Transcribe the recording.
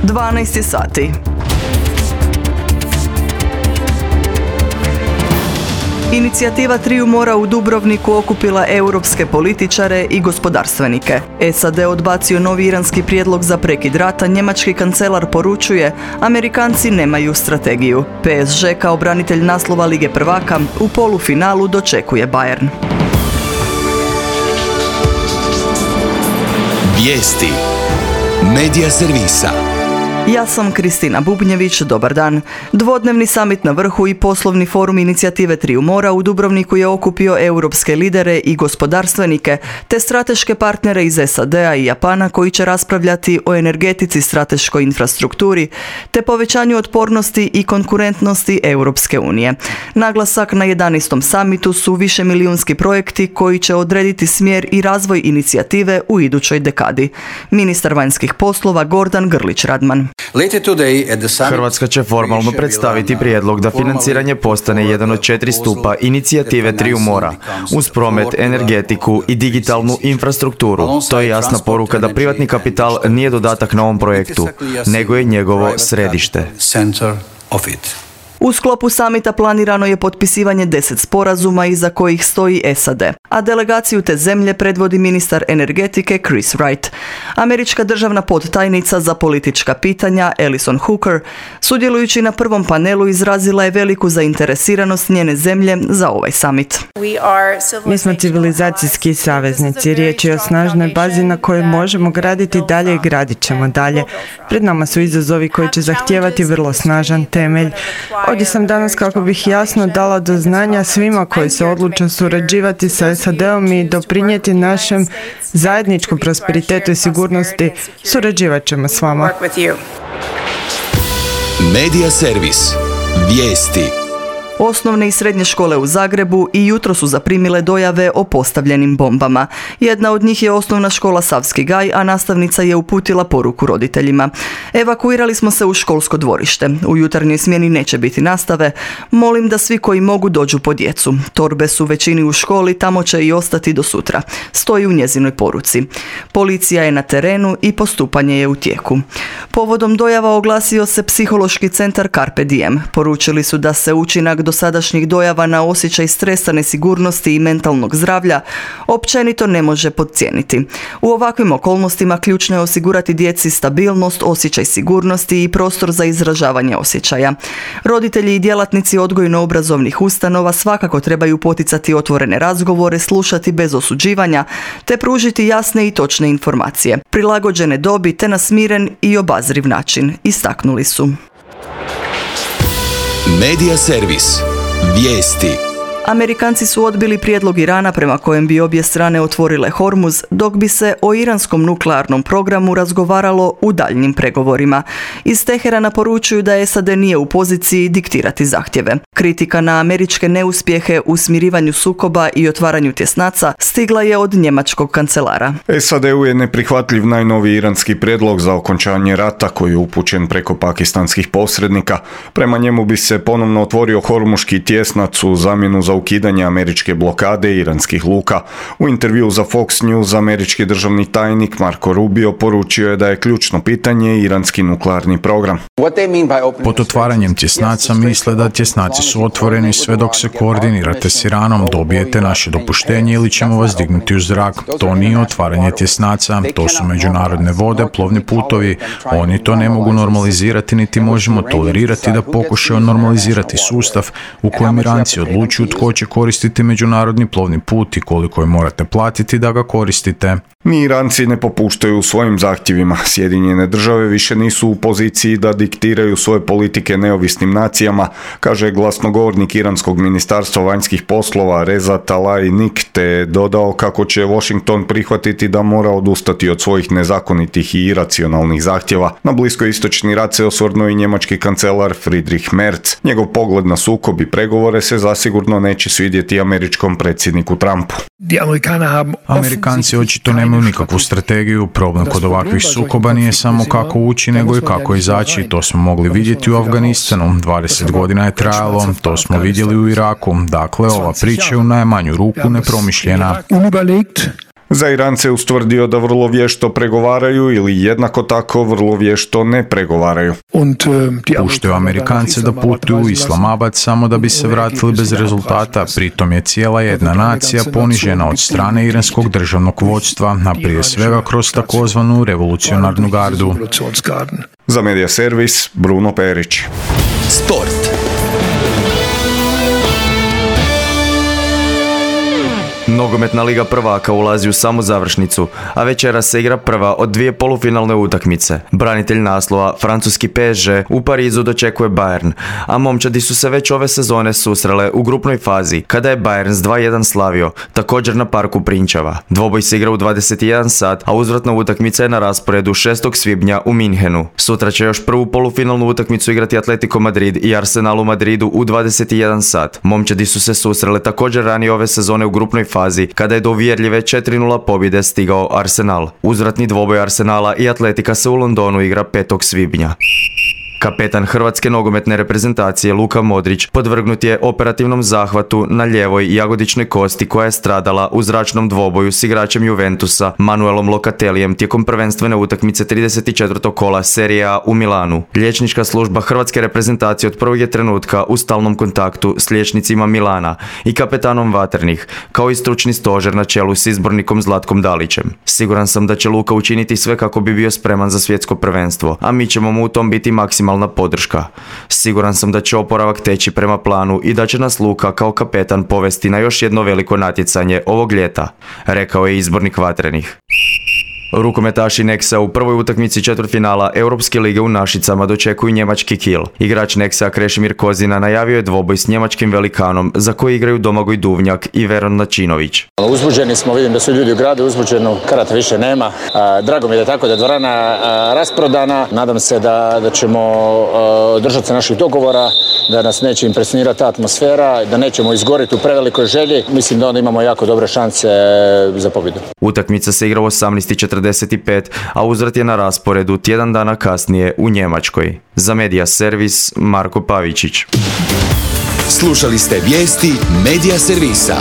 12 sati. Inicijativa Triju mora u Dubrovniku okupila europske političare i gospodarstvenike. SAD odbacio novi iranski prijedlog za prekid rata, njemački kancelar poručuje, Amerikanci nemaju strategiju. PSG kao branitelj naslova Lige prvaka u polufinalu dočekuje Bayern. Vijesti Medija servisa. Ja sam Kristina Bubnjević, dobar dan. Dvodnevni samit na vrhu i poslovni forum inicijative Triju mora u Dubrovniku je okupio europske lidere i gospodarstvenike, te strateške partnere iz SAD-a i Japana koji će raspravljati o energetici, strateškoj infrastrukturi, te povećanju otpornosti i konkurentnosti Europske unije. Naglasak na 11. samitu su višemilijunski projekti koji će odrediti smjer i razvoj inicijative u idućoj dekadi. Ministar vanjskih poslova Gordan Grlić-Radman. Hrvatska će formalno predstaviti prijedlog da financiranje postane jedan od 4 stupa inicijative Triju mora, uz promet, energetiku i digitalnu infrastrukturu. To je jasna poruka da privatni kapital nije dodatak na ovom projektu, nego je njegovo središte. U sklopu samita planirano je potpisivanje 10 sporazuma iza kojih stoji SAD, a delegaciju te zemlje predvodi ministar energetike Chris Wright. Američka državna podtajnica za politička pitanja Alison Hooker, sudjelujući na prvom panelu, izrazila je veliku zainteresiranost njene zemlje za ovaj samit. Mi smo civilizacijski saveznici. Riječ je o snažnoj bazi na kojoj možemo graditi dalje i gradit ćemo dalje. Pred nama su izazovi koji će zahtijevati vrlo snažan temelj. Ovdje sam danas kako bih jasno dala do znanja svima koji se odluče surađivati sa SAD-om i doprinijeti našem zajedničkom prosperitetu i sigurnosti. Surađivat ćemo s vama. Medija servis. Vijesti. Osnovne i srednje škole u Zagrebu i jutro su zaprimile dojave o postavljenim bombama. Jedna od njih je osnovna škola Savski Gaj, a nastavnica je uputila poruku roditeljima. Evakuirali smo se u školsko dvorište. U jutarnjoj smjeni neće biti nastave. Molim da svi koji mogu dođu po djecu. Torbe su većini u školi, tamo će i ostati do sutra. Stoji u njezinoj poruci. Policija je na terenu i postupanje je u tijeku. Povodom dojava oglasio se psihološki centar Carpe Diem. Poručili su da se učinak dosadašnjih dojava na osjećaj stresa, nesigurnosti i mentalnog zdravlja općenito ne može podcijeniti. U ovakvim okolnostima ključno je osigurati djeci stabilnost, osjećaj sigurnosti i prostor za izražavanje osjećaja. Roditelji i djelatnici odgojno-obrazovnih ustanova svakako trebaju poticati otvorene razgovore, slušati bez osuđivanja, te pružiti jasne i točne informacije, prilagođene dobi te na smiren i obazriv način, istaknuli su. Medija servis. Vijesti. Amerikanci su odbili prijedlog Irana prema kojem bi obje strane otvorile Hormuz, dok bi se o iranskom nuklearnom programu razgovaralo u daljnjim pregovorima. Iz Teherana poručuju da SAD nije u poziciji diktirati zahtjeve. Kritika na američke neuspjehe u smirivanju sukoba i otvaranju tjesnaca stigla je od njemačkog kancelara. SAD-u je neprihvatljiv najnoviji iranski prijedlog za okončanje rata koji je upućen preko pakistanskih posrednika. Prema njemu bi se ponovno otvorio Hormuški tjesnac u zamjenu za ukidanje američke blokade iranskih luka. U intervjuu za Fox News američki državni tajnik Marco Rubio poručio je da je ključno pitanje iranski nuklearni program. Pod otvaranjem tjesnaca misle da tjesnaci su otvoreni sve dok se koordinirate s Iranom, dobijete naše dopuštenje ili ćemo vas dignuti u zrak. To nije otvaranje tjesnaca, to su međunarodne vode, plovni putovi. Oni to ne mogu normalizirati niti možemo tolerirati da pokušaju normalizirati sustav u kojem Iranci odlučuju tko će koristiti međunarodni plovni put i koliko je morate platiti da ga koristite. Ni Iranci ne popuštaju u svojim zahtjevima. Sjedinjene države više nisu u poziciji da diktiraju svoje politike neovisnim nacijama, kaže glasnogovornik iranskog ministarstva vanjskih poslova Reza Talaeini, te je dodao kako će Washington prihvatiti da mora odustati od svojih nezakonitih i iracionalnih zahtjeva. Na bliskoistočni rat se osvrnuo i njemački kancelar Friedrich Merz. Njegov pogled na sukob i pregovore se zasigurno neće svidjeti američkom predsjedniku Trumpu. Amerikanci očito nemaju nikakvu strategiju. Problem kod ovakvih sukoba nije samo kako ući, nego i kako izaći. To smo mogli vidjeti u Afganistanu. 20 godina je trajalo, to smo vidjeli u Iraku. Dakle, ova priča je u najmanju ruku nepromišljena. Za Irance je ustvrdio da vrlo vješto pregovaraju ili jednako tako vrlo vješto ne pregovaraju. Puštaju Amerikance da putuju u Islamabad samo da bi se vratili bez rezultata, pritom je cijela jedna nacija ponižena od strane iranskog državnog vodstva, a prije svega kroz takozvanu revolucionarnu gardu. Za Medija servis, Bruno Perić. Sport. Nogometna liga prvaka ulazi u samu završnicu, a večera se igra prva od dvije polufinalne utakmice. Branitelj naslova, francuski PSG, u Parizu dočekuje Bayern, a momčadi su se već ove sezone susrele u grupnoj fazi, kada je Bayern s 2:1 slavio, također na parku Prinčeva. Dvoboj se igra u 21 sat, a uzvratna utakmica je na rasporedu 6. svibnja u Minhenu. Sutra će još prvu polufinalnu utakmicu igrati Atletico Madrid i Arsenal u Madridu u 21 sat. Momčadi su se susrele također ranije ove sezone u grupnoj fazi, kada je do uvjerljive 4:0 pobjede stigao Arsenal. Uzvratni dvoboj Arsenala i Atletika se u Londonu igra 5. svibnja. Kapetan hrvatske nogometne reprezentacije Luka Modrić podvrgnut je operativnom zahvatu na lijevoj jagodičnoj kosti koja je stradala u zračnom dvoboju s igračem Juventusa Manuelom Locatellijem tijekom prvenstvene utakmice 34. kola Serie A u Milanu. Liječnička služba hrvatske reprezentacije od prvog je trenutka u stalnom kontaktu s liječnicima Milana i kapetanom Vatrnih, kao i stručni stožer na čelu s izbornikom Zlatkom Dalićem. Siguran sam da će Luka učiniti sve kako bi bio spreman za svjetsko prvenstvo, a mi ćemo mu u tom biti maksimalna podrška. Siguran sam da će oporavak teći prema planu i da će nas Luka kao kapetan povesti na još jedno veliko natjecanje ovog ljeta, rekao je izbornik Vatrenih. Rukometaši Nexa u prvoj utakmici četvrtfinala Europske lige u Našicama dočekuju njemački Kiel. Igrač Nexa Krešimir Kozina najavio je dvoboj s njemačkim velikanom za koji igraju Domagoj Duvnjak i Veron Načinović. Uzbuđeni smo, vidim da su ljudi u gradu uzbuđeni, karata više nema. Drago mi je da tako da je dvorana rasprodana. Nadam se da ćemo držati se naših dogovora, da nas neće impresionirati ta atmosfera, da nećemo izgoriti u prevelikoj želji. Mislim da onda imamo jako dobre šanse za pobjedu. Utakmica se igra u 18:45, a uzvrat je na rasporedu tjedan dana kasnije u Njemačkoj. Za Medija servis, Marko Pavičić. Slušali ste vijesti Medija servisa.